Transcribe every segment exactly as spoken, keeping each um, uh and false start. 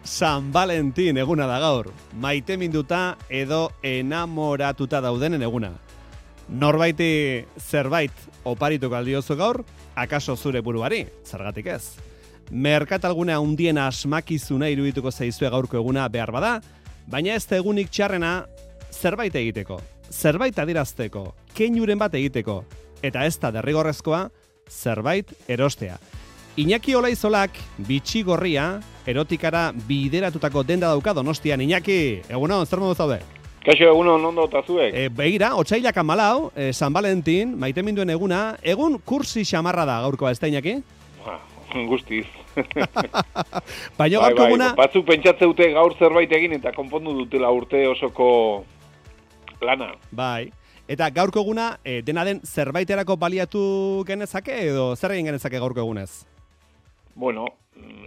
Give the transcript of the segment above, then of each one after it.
San Valentin eguna da gaur. Maite minduta edo enamoratuta daudenen eguna. Norbaiti zerbait oparituko aldiozu gaur, akaso zure buruari, zergatik ez. Merkatalgunea hundien asmakizuna irudituko zaizue gaurko eguna behar bada, baina ez da egunik txarrena zerbait egiteko, zerbait adirazteko, keinuren bat egiteko, eta ez da derrigorrezkoa zerbait erostea. Iñaki Olaizolak bitxi gorria erotikara bideratutako denda dauka Donostian. Iñaki, egunon, zer modu zaude? Kaixo, egunon, ondo eta zuek? E, begira, otsailak hamalau, e, San Valentin, maite minduen eguna, egun kursi xamarra da gaurkoa, ez da, Iñaki? Ba, guztiz. Baina gaurko bai, eguna... Bai, batzuk pentsatze dute gaur zerbait egin eta konpondu dutela urte osoko lana. Bai. Eta gaurko eguna, e, dena den zerbaiterako baliatu genezake edo zer egin genezake gaurko egunez? Bueno,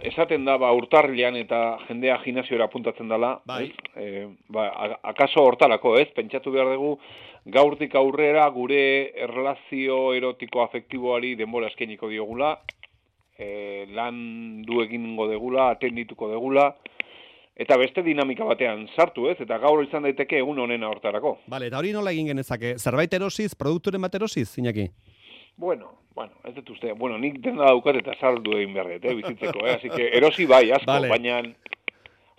esaten da ba urtarrilean eta jendea gimnasiora apuntatzen dela, bai. E, ba, akaso hortarako, ez? Pentsatu behar dugu gaurtik aurrera gure erlazio erotiko afektiboari denbora eskainiko diogula, e, lan du egingo degula, atendituko degula, eta beste dinamika batean sartu, ez? Eta gaur izan daiteke egun honena hortarako. Vale, eta hori nola egin genezake? Zerbait erosiz, produkturen bat erosiz, Iñaki? Bueno, bueno, ez dut uste, bueno, nik dena daukat eta saldu egin berret, eh, bizitzeko, eh? Así que erosi bai, asko, vale. baina,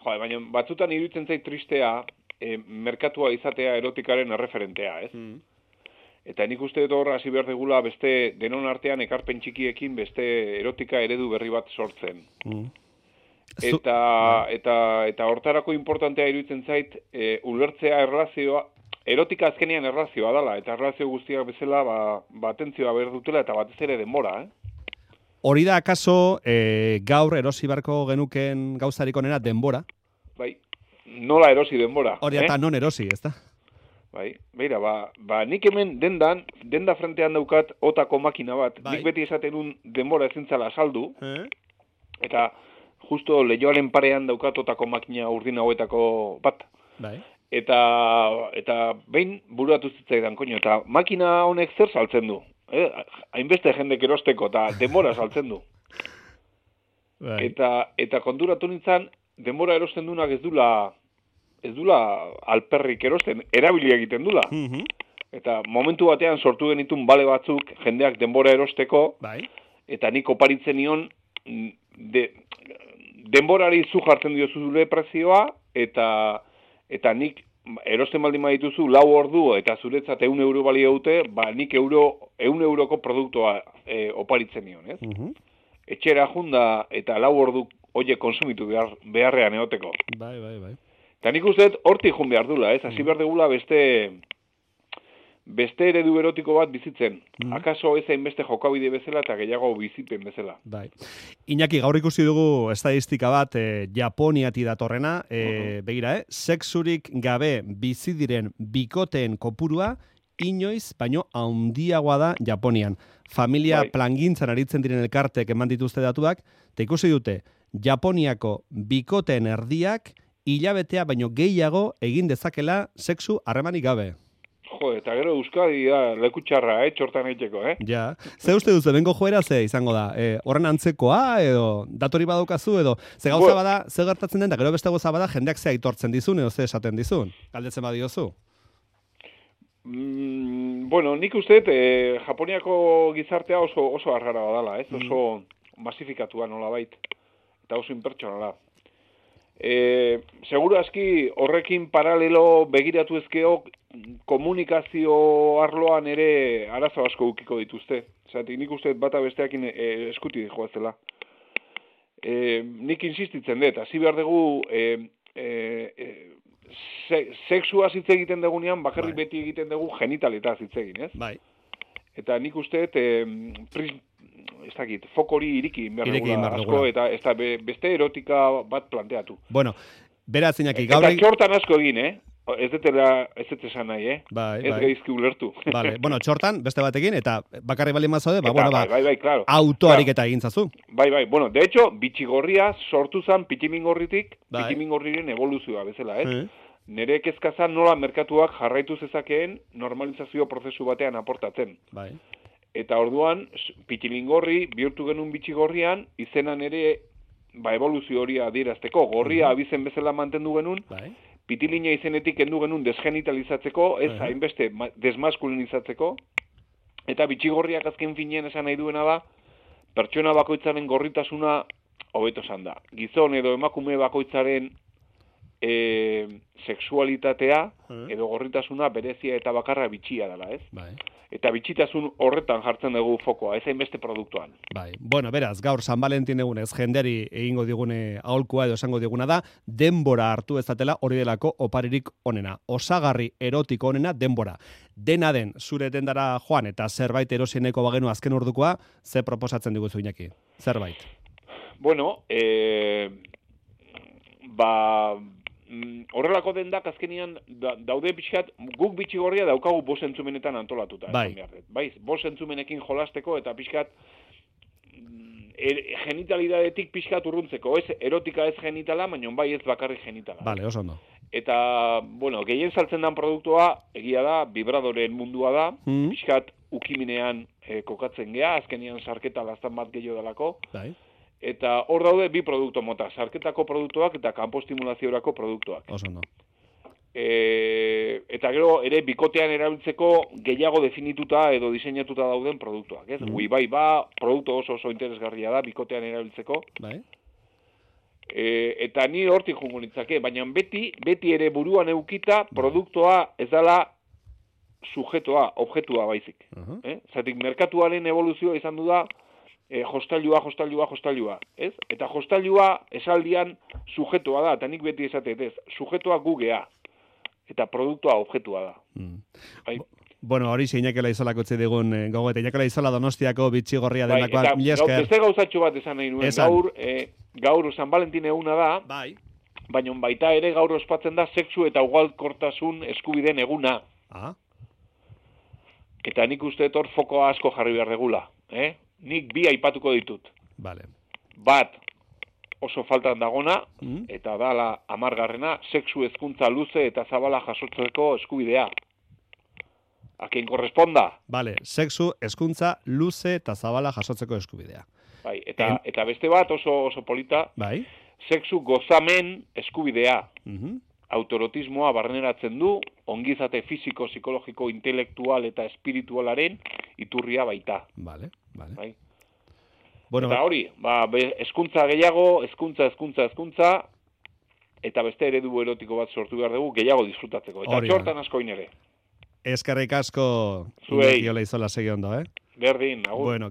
jo, baina batzutan iruditzen zait tristea, eh, merkatua izatea erotikaren erreferentea, ez? Mm. Eta nik uste dut horra hasi behar degula beste denon artean ekarpen txikiekin beste erotika eredu berri bat sortzen. Mm. Eta, eta, eta hortarako importantea iruditzen zait, eh, ulertzea erlazioa, erotika azkenean erlazioa dela, eta erlazio guztiak bezala ba, ba atentzioa behar dutela eta batez ere denbora, eh? Hori da akaso e, gaur erosi barko genuken gauzarik onena denbora? Bai, nola erosi denbora. Hori eta eh? non erosi, ez da? Bai, beira, ba, ba nik hemen dendan, denda frentean daukat otako makina bat, bai. Nik beti esaten un denbora ezintzala saldu, eh? Eta justo lehioaren parean daukat otako makina urdin hauetako bat. Bai. Eta, eta behin buratu zitzaidan, koño, eta makina honek zer saltzen du? Eh? Hainbeste jendek erosteko, eta denbora saltzen du. Bai. Eta, eta konturatu nintzen, denbora erosten dunak ez dula, ez dula alperrik erosten, erabili egiten dula. Mm-hmm. Eta momentu batean sortu genitun bale batzuk, jendeak denbora erosteko, bai. Eta nik oparitzen nion, de, denborari zu jartzen diozu zure prezioa, eta... Eta nik erosten baldin badituzu lau ordu eta zuretzat ehun euro balio dute, ba nik euro, ehun euroko produktua e, oparitzen nion, ez? Uh-huh. Etxera junda eta lau ordu hoiek konsumitu behar, beharrean egoteko. Bai, bai, bai. Eta nik uste hortik jun behar dula, ez? Hasi uh-huh. behar degula beste, beste eredu erotiko bat bizitzen. Uh-huh. Akaso ez hainbeste jokabide bezala eta gehiago bizipen bezala. Bai. Iñaki, gaur ikusi dugu estadistika bat e, Japoniati datorrena, e, uh-huh. begira, eh? Sexurik gabe bizi diren bikoteen kopurua inoiz baino handiagoa da Japonian. Familia bai. Plangintzan aritzen diren elkartek eman dituzte datuak, eta ikusi dute Japoniako bikoteen erdiak hilabetea baino gehiago egin dezakela sexu harremanik gabe. Jo, eta gero Euskadi da lekutxarra, eh, txortan egiteko, eh? Ja. Ze uste duzu, bengo joera ze izango da? E, horren antzekoa, edo datori badaukazu, edo ze gauza bada, ze gertatzen den, da gero beste gauza bada, jendeak ze aitortzen dizun, edo ze esaten dizun? Galdetzen badiozu? Mm, bueno, nik uste, e, Japoniako gizartea oso, oso arrara badala, ez? Mm. Oso masifikatua nola bait, eta oso impertsonala. E, seguro aski horrekin paralelo begiratu ezkeok komunikazio arloan ere arazo asko ukiko dituzte. Zati, nik uste bata besteakin e, eskuti joazela. E, nik insistitzen dut, hasi behar dugu e, e, e, se, sexua hitz egiten dugunean, bakarrik bai. Beti egiten dugu genitaletaz hitz egin, ez? Bai. Eta nik uste e, pris, ez dakit, fokori iriki behar asko, eta ez da beste erotika bat planteatu. Bueno, beraz Iñaki, gaur... Eta txortan asko egin, eh? Ez detela, ez detesan nahi, eh? Bai, ez bai. Gaizki ulertu. Vale. Bueno, txortan, beste batekin, eta bakarri bali mazaude, ba, eta, bueno, ba, bai, bai, bai, claro. autoarik eta egin zazu. Bai, bai, bueno, de hecho, bitxigorria sortu zan pitimingorritik, bai. Pitimingorriren evoluzioa bezala, ez? Eh? Nere kezkazan nola merkatuak jarraitu zezakeen normalizazio prozesu batean aportatzen. Bai. Eta orduan, pitilingorri bihurtu genuen bitxigorrian, izenan ere ba, evoluzio hori adierazteko. Gorria uh-huh. abizen bezala mantendu genuen, bai. Pitilina izenetik kendu genuen desgenitalizatzeko, ez uh-huh. hainbeste desmaskulinizatzeko, eta bitxigorriak azken finean esan nahi duena da, pertsona bakoitzaren gorritasuna hobeto esan da. Gizon edo emakume bakoitzaren e, sexualitatea uh-huh. edo gorritasuna berezia eta bakarra bitxia dela, ez? Bai. Eta bitxitasun horretan jartzen dugu fokoa, ez hainbeste produktuan. Bai. Bueno, beraz, gaur San Valentin egunez jenderi egingo digune aholkua edo esango diguna da, denbora hartu ezatela hori delako oparirik onena. Osagarri erotiko onena denbora. Dena den, zure dendara joan eta zerbait erosieneko bagenu azken ordukoa, ze proposatzen diguzu Iñaki? Zerbait? Bueno, eh, ba... horrelako dendak azkenian da, daude pixkat, guk bitxigorria daukagu bost entzumenetan antolatuta. Bai. Bai, bost entzumenekin jolasteko eta pixkat er, genitalidadetik pixkat urruntzeko. Ez erotika ez genitala, baina bai ez bakarrik genitala. Vale, oso ondo. Eta, bueno, gehien saltzen den produktua, egia da, vibradoren mundua da, mm. pixkat ukiminean eh, kokatzen gea, azkenian sarketa lastan bat gehiago dalako. Bai. Eta hor daude bi produktu mota, sarketako produktuak eta kanpostimulaziorako produktuak. Oso no. E, eta gero ere bikotean erabiltzeko gehiago definituta edo diseinatuta dauden produktuak. Ez? Mm. Ui bai ba, produktu oso oso interesgarria da bikotean erabiltzeko. Bai. E, eta ni hortik jungo nitzake, baina beti, beti ere buruan eukita produktua ez dela sujetoa, objetua baizik. Uh-huh. Eh? Zatik, merkatuaren evoluzioa izan du da, E, jostailua, jostailua, jostailua, ez? Eta jostailua esaldian sujetoa da, eta nik beti esatet, ez? Sujetoa gugea, eta produktua objetua da. Mm. Bai. Bueno, hori Iñaki Laizolak utzi digun eh, gogo, eta Iñaki Laizola Donostiako bitxigorria denakoa, bai, mila esker. Beste gauzatxo bat esan nahi nuen, esan. gaur, eh, gaur San Valentin eguna da, bai. Baina baita ere gaur ospatzen da sexu eta ugalkortasun eskubideen eguna. Ah. Eta nik uste hor fokoa asko jarri behar regula, eh? Nik bi aipatuko ditut. Vale. Bat, oso faltan dagona, mm. eta dala amargarrena, sexu hezkuntza luze eta zabala jasotzeko eskubidea. A quien corresponda. Vale, sexu hezkuntza luze eta zabala jasotzeko eskubidea. Bai, eta, en... eta beste bat oso, oso polita, bai. Sexu gozamen eskubidea. Mhm. Autorotismoa barneratzen du, ongizate fisiko, psikologiko, intelektual eta espiritualaren iturria baita. Vale, vale. Bai. Bueno, eta hori, ba, hezkuntza gehiago, hezkuntza, hezkuntza, hezkuntza, eta beste eredu erotiko bat sortu behar dugu, gehiago disfrutatzeko. Eta txortan asko inere. Eskerrik asko, Zuei. Iñaki Olaizola segi ondo, eh? Berdin, agur. Bueno,